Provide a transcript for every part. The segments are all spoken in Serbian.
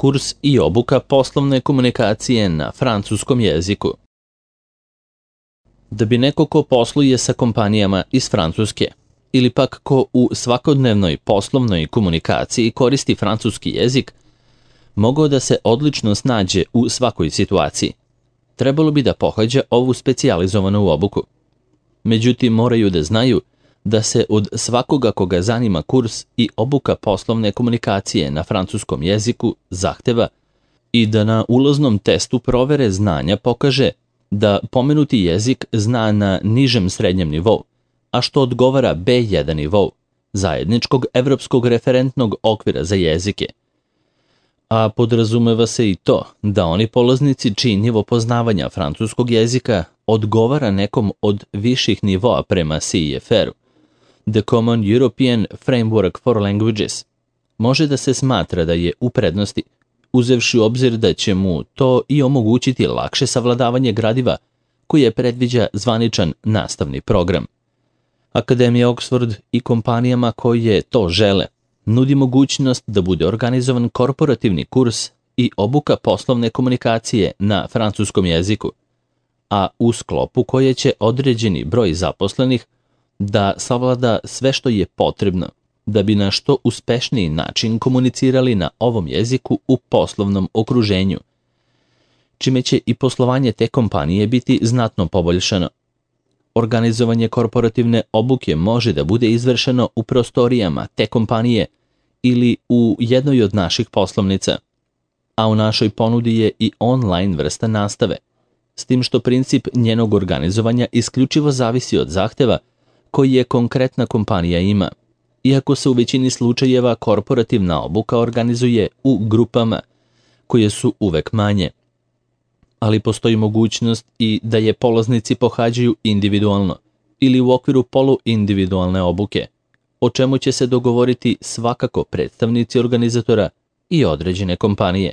kurs i obuka poslovne komunikacije na francuskom jeziku. Da bi neko ko posluje sa kompanijama iz Francuske ili pak ko u svakodnevnoj poslovnoj komunikaciji koristi francuski jezik, mogao da se odlično snađe u svakoj situaciji, trebalo bi da pohađa ovu specijalizovanu obuku. Međutim, moraju da znaju da se od svakoga koga zanima kurs i obuka poslovne komunikacije na francuskom jeziku zahteva i da na ulaznom testu provere znanja pokaže da pomenuti jezik zna na nižem srednjem nivou, a što odgovara B1 nivou, zajedničkog evropskog referentnog okvira za jezike. A podrazumeva se i to da oni polaznici čiji nivo poznavanja francuskog jezika odgovara nekom od viših nivoa prema CEFR-u, The Common European Framework for Languages, može da se smatra da je u prednosti, uzevši u obzir da će mu to i omogućiti lakše savladavanje gradiva koje predviđa zvaničan nastavni program. Akademija Oxford i kompanijama koje to žele nudi mogućnost da bude organizovan korporativni kurs i obuka poslovne komunikacije na francuskom jeziku, a u sklopu koje će određeni broj zaposlenih da savlada sve što je potrebno da bi na što uspešniji način komunicirali na ovom jeziku u poslovnom okruženju, čime će i poslovanje te kompanije biti znatno poboljšano. Organizovanje korporativne obuke može da bude izvršeno u prostorijama te kompanije ili u jednoj od naših poslovnica, a u našoj ponudi je i online vrsta nastave, s tim što princip njenog organizovanja isključivo zavisi od zahteva koji je konkretna kompanija ima, iako se u većini slučajeva korporativna obuka organizuje u grupama, koje su uvek manje. Ali postoji mogućnost i da je polaznici pohađaju individualno ili u okviru poluindividualne obuke, o čemu će se dogovoriti svakako predstavnici organizatora i određene kompanije.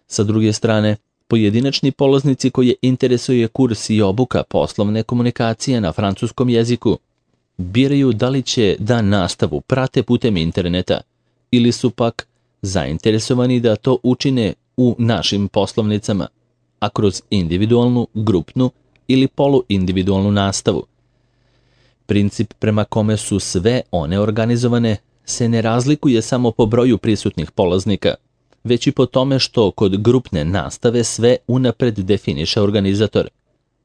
Sa druge strane, pojedinačni polaznici koje interesuje kurs i obuka poslovne komunikacije na francuskom jeziku biraju da li će da nastavu prate putem interneta ili su pak zainteresovani da to učine u našim poslovnicama, a kroz individualnu, grupnu ili poluindividualnu nastavu. Princip prema kome su sve one organizovane se ne razlikuje samo po broju prisutnih polaznika, već i po tome što kod grupne nastave sve unapred definiše organizator,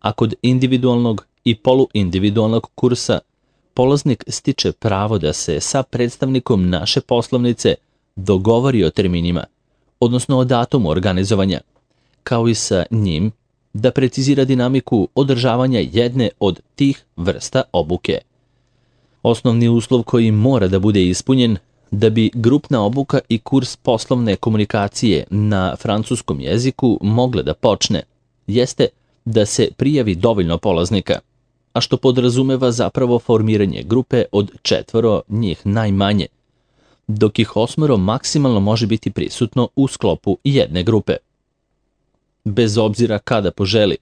a kod individualnog i poluindividualnog kursa polaznik stiče pravo da se sa predstavnikom naše poslovnice dogovori o terminima, odnosno o datumu organizovanja, kao i sa njim da precizira dinamiku održavanja jedne od tih vrsta obuke. Osnovni uslov koji mora da bude ispunjen da bi grupna obuka i kurs poslovne komunikacije na francuskom jeziku mogle da počne, jeste da se prijavi dovoljno polaznika, a što podrazumeva zapravo formiranje grupe od 4 njih najmanje, dok ih 8 maksimalno može biti prisutno u sklopu jedne grupe. Bez obzira kada poželi,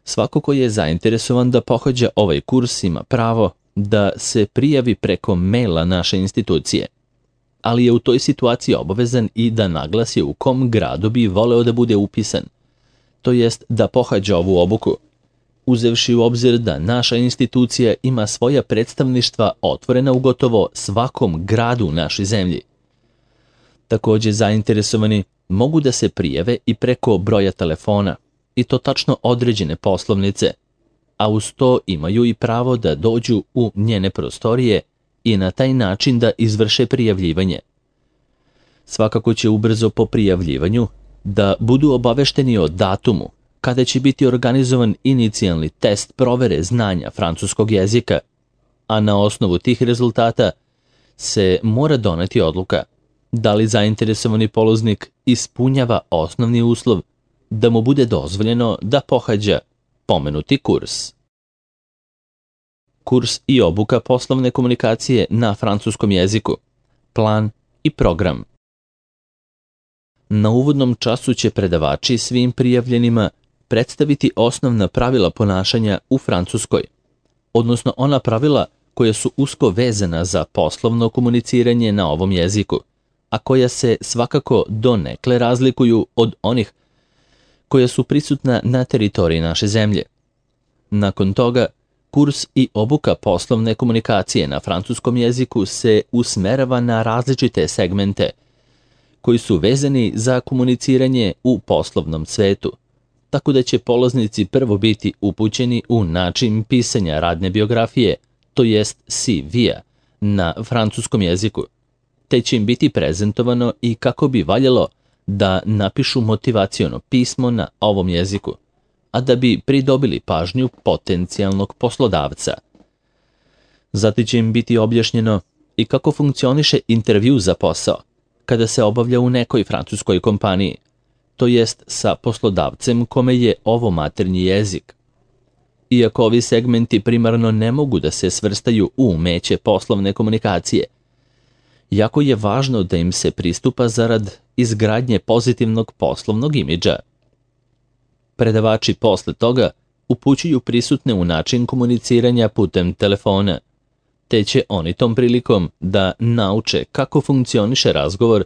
svako ko je zainteresovan da pohađa ovaj kurs ima pravo da se prijavi preko maila naše institucije, ali je u toj situaciji obavezan i da naglasi u kom gradu bi voleo da bude upisan, to jest da pohađa ovu obuku, uzevši u obzir da naša institucija ima svoja predstavništva otvorena u gotovo svakom gradu u našoj zemlji. Također zainteresovani mogu da se prijave i preko broja telefona, i to tačno određene poslovnice, a uz to imaju i pravo da dođu u njene prostorije i na taj način da izvrše prijavljivanje. Svakako će ubrzo po prijavljivanju da budu obavešteni o datumu kada će biti organizovan inicijalni test provere znanja francuskog jezika, a na osnovu tih rezultata se mora doneti odluka da li zainteresovani polaznik ispunjava osnovni uslov da mu bude dozvoljeno da pohađa pomenuti kurs. Kurs i obuka poslovne komunikacije na francuskom jeziku, plan i program. Na uvodnom času će predavači svim prijavljenima predstaviti osnovna pravila ponašanja u Francuskoj, odnosno ona pravila koja su usko vezana za poslovno komuniciranje na ovom jeziku, a koja se svakako donekle razlikuju od onih koja su prisutna na teritoriji naše zemlje. Nakon toga, kurs i obuka poslovne komunikacije na francuskom jeziku se usmerava na različite segmente koji su vezani za komuniciranje u poslovnom svetu, tako da će polaznici prvo biti upućeni u način pisanja radne biografije, to jest CV-a, na francuskom jeziku, te će im biti prezentovano i kako bi valjalo da napišu motivaciono pismo na ovom jeziku, a da bi pridobili pažnju potencijalnog poslodavca. Zatim će im biti objašnjeno i kako funkcioniše intervju za posao kada se obavlja u nekoj francuskoj kompaniji, to jest sa poslodavcem kome je ovo maternji jezik. Iako ovi segmenti primarno ne mogu da se svrstaju u umeće poslovne komunikacije, jako je važno da im se pristupa zarad izgradnje pozitivnog poslovnog imidža. Predavači posle toga upućuju prisutne u način komuniciranja putem telefona, te će oni tom prilikom da nauče kako funkcioniše razgovor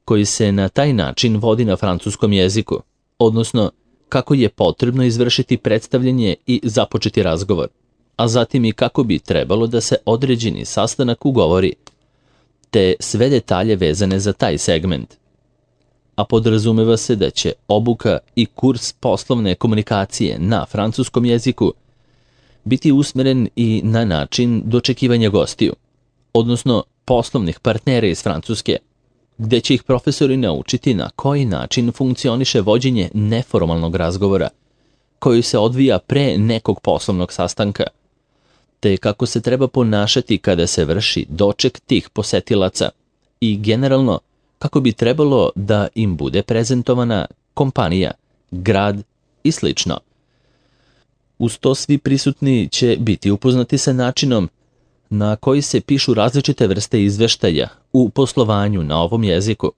koji se na taj način vodi na francuskom jeziku, odnosno kako je potrebno izvršiti predstavljanje i započeti razgovor, a zatim i kako bi trebalo da se određeni sastanak ugovori, te sve detalje vezane za taj segment. A podrazumeva se da će obuka i kurs poslovne komunikacije na francuskom jeziku biti usmeren i na način dočekivanja gostiju, odnosno poslovnih partnera iz Francuske, gde će ih profesori naučiti na koji način funkcioniše vođenje neformalnog razgovora, koji se odvija pre nekog poslovnog sastanka, te kako se treba ponašati kada se vrši doček tih posetilaca i generalno kako bi trebalo da im bude prezentovana kompanija, grad i slično. Uz to svi prisutni će biti upoznati sa načinom na koji se pišu različite vrste izveštaja u poslovanju na ovom jeziku,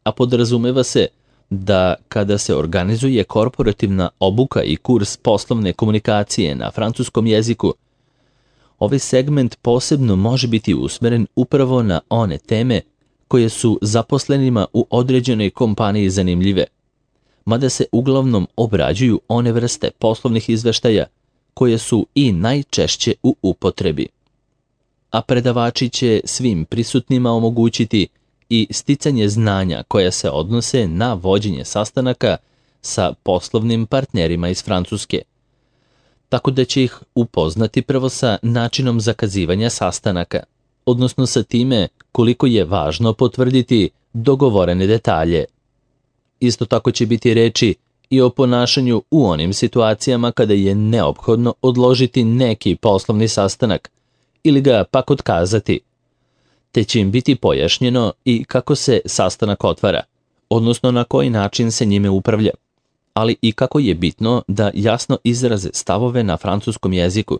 a podrazumeva se da kada se organizuje korporativna obuka i kurs poslovne komunikacije na francuskom jeziku, ovaj segment posebno može biti usmeren upravo na one teme koje su zaposlenima u određenoj kompaniji zanimljive, mada se uglavnom obrađuju one vrste poslovnih izveštaja koje su i najčešće u upotrebi. A predavači će svim prisutnima omogućiti i sticanje znanja koja se odnose na vođenje sastanaka sa poslovnim partnerima iz Francuske, tako da će ih upoznati prvo sa načinom zakazivanja sastanaka, odnosno sa time koliko je važno potvrditi dogovorene detalje. Isto tako će biti reči i o ponašanju u onim situacijama kada je neophodno odložiti neki poslovni sastanak ili ga pak otkazati, te će im biti pojašnjeno i kako se sastanak otvara, odnosno na koji način se njime upravlja, ali i kako je bitno da jasno izraze stavove na francuskom jeziku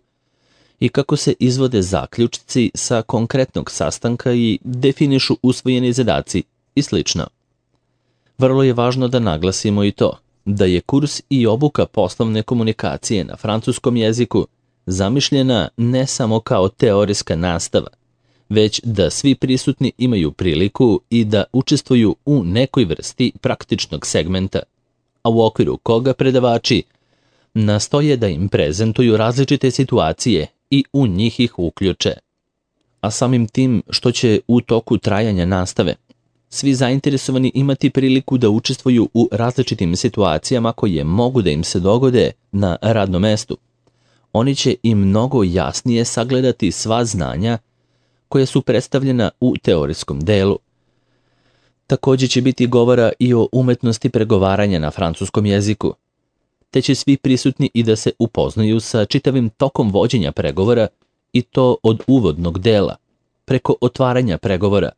i kako se izvode zaključci sa konkretnog sastanka i definišu usvojeni zadaci i slično. Vrlo je važno da naglasimo i to da je kurs i obuka poslovne komunikacije na francuskom jeziku zamišljena ne samo kao teorijska nastava, već da svi prisutni imaju priliku i da učestvuju u nekoj vrsti praktičnog segmenta, a u okviru koga predavači nastoje da im prezentuju različite situacije i u njih ih uključe. A samim tim što će u toku trajanja nastave svi zainteresovani imati priliku da učestvuju u različitim situacijama koje mogu da im se dogode na radnom mestu, oni će i mnogo jasnije sagledati sva znanja koja su predstavljena u teorijskom delu. Također će biti govora i o umetnosti pregovaranja na francuskom jeziku, te će svi prisutni i da se upoznaju sa čitavim tokom vođenja pregovora i to od uvodnog dela, preko otvaranja pregovora,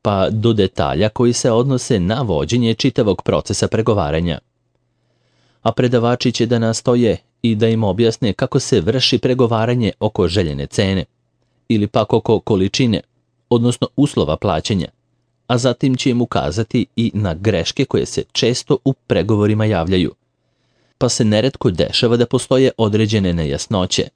pa do detalja koji se odnose na vođenje čitavog procesa pregovaranja. A predavači će da nastoje i da im objasne kako se vrši pregovaranje oko željene cene ili pak oko količine, odnosno uslova plaćanja, a zatim će im ukazati i na greške koje se često u pregovorima javljaju, pa se neretko dešava da postoje određene nejasnoće,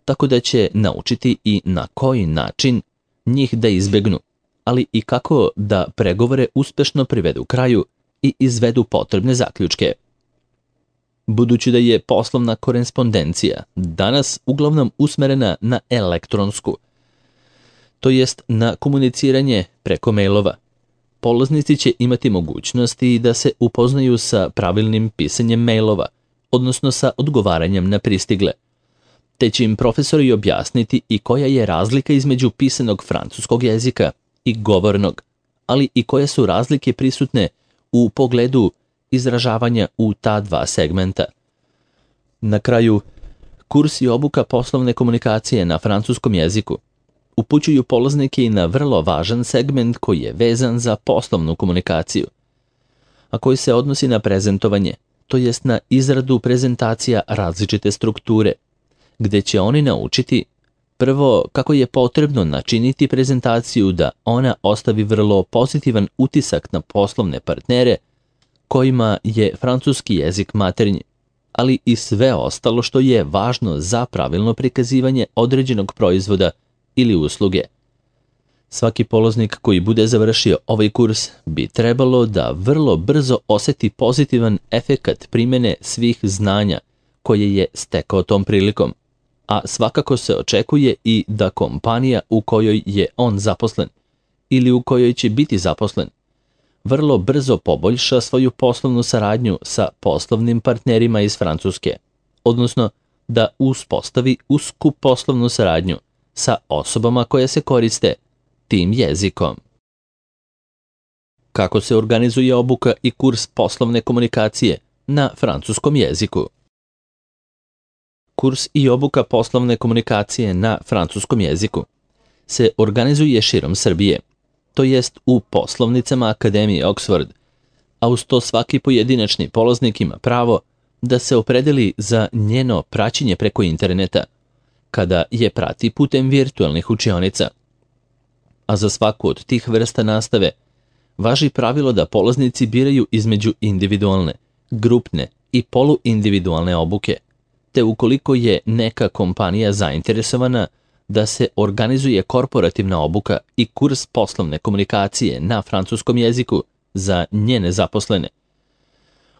tako da će naučiti i na koji način njih da izbegnu, ali i kako da pregovore uspešno privedu kraju i izvedu potrebne zaključke. Budući da je poslovna korespondencija danas uglavnom usmerena na elektronsku, to jest na komuniciranje preko mailova, polaznici će imati mogućnosti da se upoznaju sa pravilnim pisanjem mailova, odnosno sa odgovaranjem na pristigle, te će im profesori objasniti i koja je razlika između pisanog francuskog jezika i govornog, ali i koje su razlike prisutne u pogledu izražavanja u ta dva segmenta. Na kraju, kurs i obuka poslovne komunikacije na francuskom jeziku upućuju polaznike i na vrlo važan segment koji je vezan za poslovnu komunikaciju, a koji se odnosi na prezentovanje, to jest na izradu prezentacija različite strukture, gde će oni naučiti prvo kako je potrebno načiniti prezentaciju da ona ostavi vrlo pozitivan utisak na poslovne partnere kojima je francuski jezik maternji, ali i sve ostalo što je važno za pravilno prikazivanje određenog proizvoda ili usluge. Svaki polaznik koji bude završio ovaj kurs bi trebalo da vrlo brzo oseti pozitivan efekat primene svih znanja koje je stekao tom prilikom, a svakako se očekuje i da kompanija u kojoj je on zaposlen ili u kojoj će biti zaposlen vrlo brzo poboljša svoju poslovnu saradnju sa poslovnim partnerima iz Francuske, odnosno da uspostavi usku poslovnu saradnju sa osobama koje se koriste tim jezikom. Kako se organizuje obuka i kurs poslovne komunikacije na francuskom jeziku? Kurs i obuka poslovne komunikacije na francuskom jeziku se organizuje širom Srbije, to jest u poslovnicama Akademije Oxford, a uz to svaki pojedinačni polaznik ima pravo da se opredeli za njeno praćenje preko interneta, kada je prati putem virtualnih učionica. A za svaku od tih vrsta nastave važi pravilo da polaznici biraju između individualne, grupne i poluindividualne obuke, te ukoliko je neka kompanija zainteresovana da se organizuje korporativna obuka i kurs poslovne komunikacije na francuskom jeziku za njene zaposlene.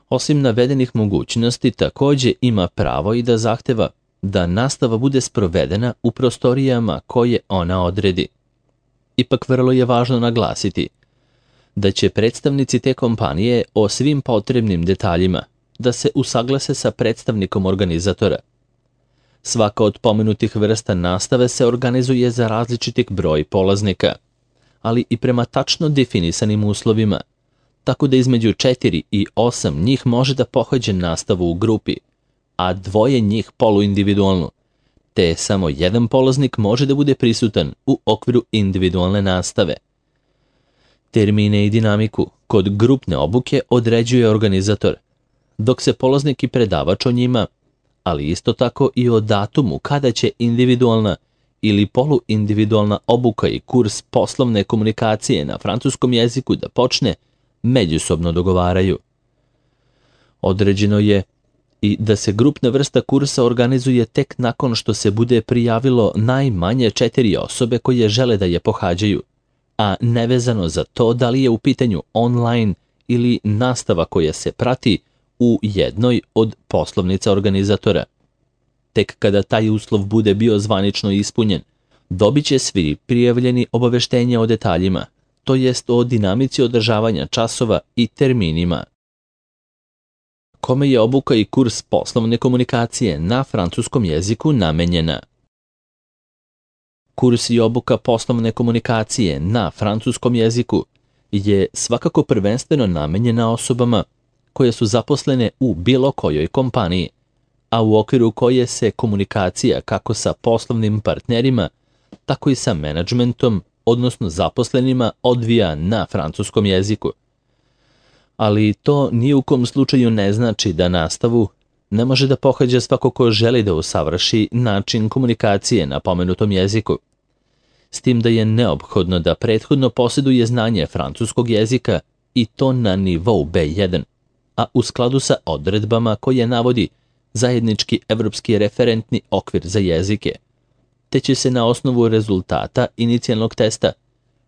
Osim navedenih mogućnosti, takođe ima pravo i da zahteva da nastava bude sprovedena u prostorijama koje ona odredi. Ipak vrlo je važno naglasiti da će predstavnici te kompanije o svim potrebnim detaljima da se usaglase sa predstavnikom organizatora. Svaka od pomenutih vrsta nastave se organizuje za različitih broj polaznika, ali i prema tačno definisanim uslovima, tako da između 4 i 8 njih može da pohađa nastavu u grupi, a 2 njih poluindividualnu, te samo jedan polaznik može da bude prisutan u okviru individualne nastave. Termine i dinamiku kod grupne obuke određuje organizator, dok se polaznik i predavač o njima, ali isto tako i o datumu kada će individualna ili poluindividualna obuka i kurs poslovne komunikacije na francuskom jeziku da počne, međusobno dogovaraju. Određeno je i da se grupna vrsta kursa organizuje tek nakon što se bude prijavilo najmanje 4 osobe koje žele da je pohađaju, a nevezano za to da li je u pitanju online ili nastava koja se prati u jednoj od poslovnica organizatora. Tek kada taj uslov bude bio zvanično ispunjen, dobit će svi prijavljeni obaveštenja o detaljima, to jest o dinamici održavanja časova i terminima. Kome je obuka i kurs poslovne komunikacije na francuskom jeziku namenjena? Kurs i obuka poslovne komunikacije na francuskom jeziku je svakako prvenstveno namenjena osobama koje su zaposlene u bilo kojoj kompaniji, a u okviru koje se komunikacija kako sa poslovnim partnerima, tako i sa menadžmentom, odnosno zaposlenima, odvija na francuskom jeziku. Ali to ni u kom slučaju ne znači da nastavu ne može da pohađa svako ko želi da usavrši način komunikacije na pomenutom jeziku, s tim da je neophodno da prethodno posjeduje znanje francuskog jezika i to na nivou B1, a u skladu sa odredbama koje navodi zajednički evropski referentni okvir za jezike, te će se na osnovu rezultata inicijalnog testa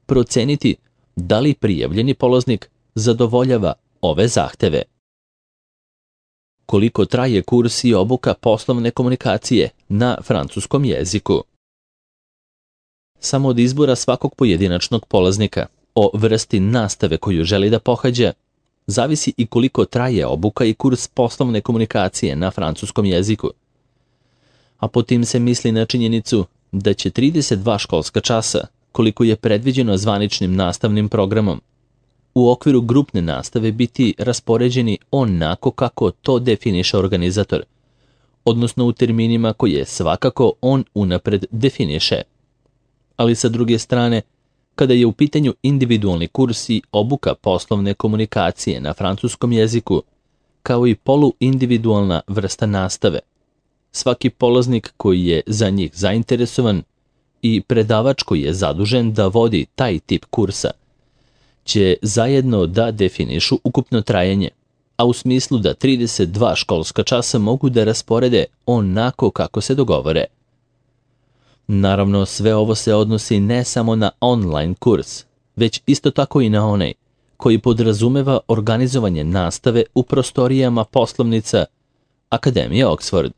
proceniti da li prijavljeni polaznik zadovoljava ove zahteve. Koliko traje kurs i obuka poslovne komunikacije na francuskom jeziku? Samo od izbora svakog pojedinačnog polaznika o vrsti nastave koju želi da pohađa zavisi i koliko traje obuka i kurs poslovne komunikacije na francuskom jeziku. A po tim se misli na činjenicu da će 32 školska časa, koliko je predviđeno zvaničnim nastavnim programom, u okviru grupne nastave biti raspoređeni onako kako to definiše organizator, odnosno u terminima koje svakako on unapred definiše. Ali sa druge strane, kada je u pitanju individualni kurs i obuka poslovne komunikacije na francuskom jeziku, kao i poluindividualna vrsta nastave, svaki polaznik koji je za njih zainteresovan i predavač koji je zadužen da vodi taj tip kursa će zajedno da definišu ukupno trajanje, a u smislu da 32 školska časa mogu da rasporede onako kako se dogovore. Naravno, sve ovo se odnosi ne samo na online kurs, već isto tako i na onaj koji podrazumeva organizovanje nastave u prostorijama poslovnica Akademije Oxford.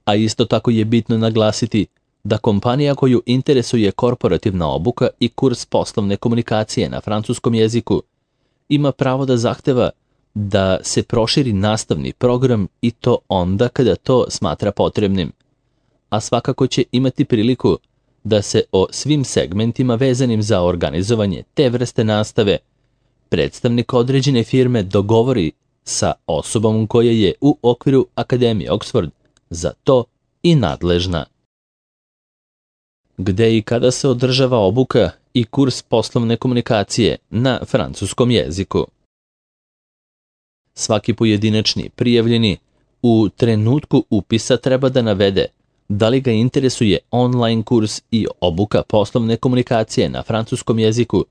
A isto tako je bitno naglasiti da kompanija koju interesuje korporativna obuka i kurs poslovne komunikacije na francuskom jeziku ima pravo da zahteva da se proširi nastavni program i to onda kada to smatra potrebnim, a svakako će imati priliku da se o svim segmentima vezanim za organizovanje te vrste nastave predstavnik određene firme dogovori sa osobom koja je u okviru Akademije Oxford za to i nadležna. Gde i kada se održava obuka i kurs poslovne komunikacije na francuskom jeziku? Svaki pojedinačni prijavljeni u trenutku upisa treba da navede da li ga interesuje online kurs i obuka poslovne komunikacije na francuskom jeziku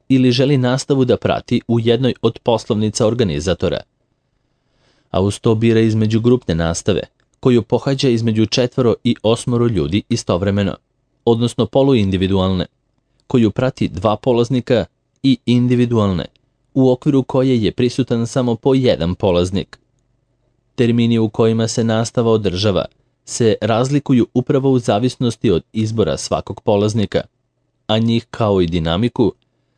ili želi nastavu da prati u jednoj od poslovnica organizatora. A uz to bira između grupne nastave, koju pohađa između 4 i 8 ljudi istovremeno, odnosno poluindividualne, koju prati 2 polaznika i individualne, u okviru koje je prisutan samo po jedan polaznik. Termini u kojima se nastava održava se razlikuju upravo u zavisnosti od izbora svakog polaznika, a njih kao i dinamiku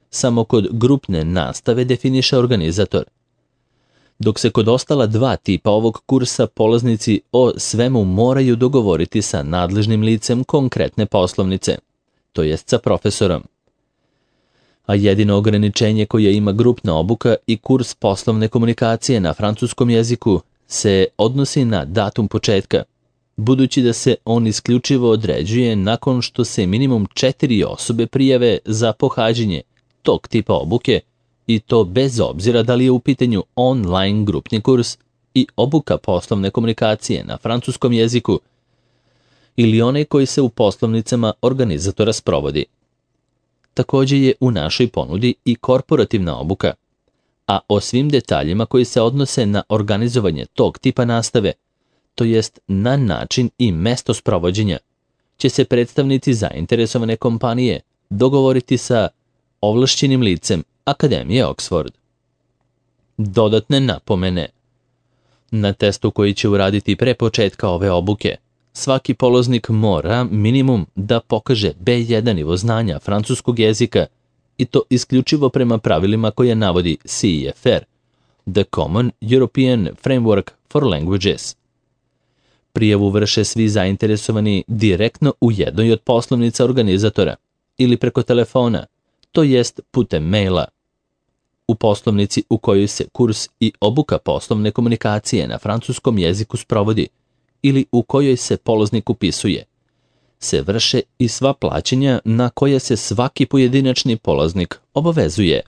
samo kod grupne nastave definiše organizator. Dok se kod ostala 2 tipa ovog kursa polaznici o svemu moraju dogovoriti sa nadležnim licem konkretne poslovnice, to jest sa profesorom. A jedino ograničenje koje ima grupna obuka i kurs poslovne komunikacije na francuskom jeziku se odnosi na datum početka, budući da se on isključivo određuje nakon što se minimum 4 osobe prijave za pohađanje tog tipa obuke, i to bez obzira da li je u pitanju online grupni kurs i obuka poslovne komunikacije na francuskom jeziku ili onaj koji se u poslovnicama organizatora sprovodi. Također je u našoj ponudi i korporativna obuka, a o svim detaljima koji se odnose na organizovanje tog tipa nastave, to jest na način i mesto sprovođenja, će se predstavnici zainteresovane kompanije dogovoriti sa ovlašćenim licem Akademije Oxford. Dodatne napomene. Na testu koji će uraditi pre početka ove obuke, svaki polaznik mora minimum da pokaže B1 nivo znanja francuskog jezika i to isključivo prema pravilima koje navodi CEFR, The Common European Framework for Languages. Prijavu vrše svi zainteresovani direktno u jednoj od poslovnica organizatora ili preko telefona, to jest putem maila. U poslovnici u kojoj se kurs i obuka poslovne komunikacije na francuskom jeziku sprovodi ili u kojoj se polaznik upisuje, se vrše i sva plaćanja na koje se svaki pojedinačni polaznik obavezuje.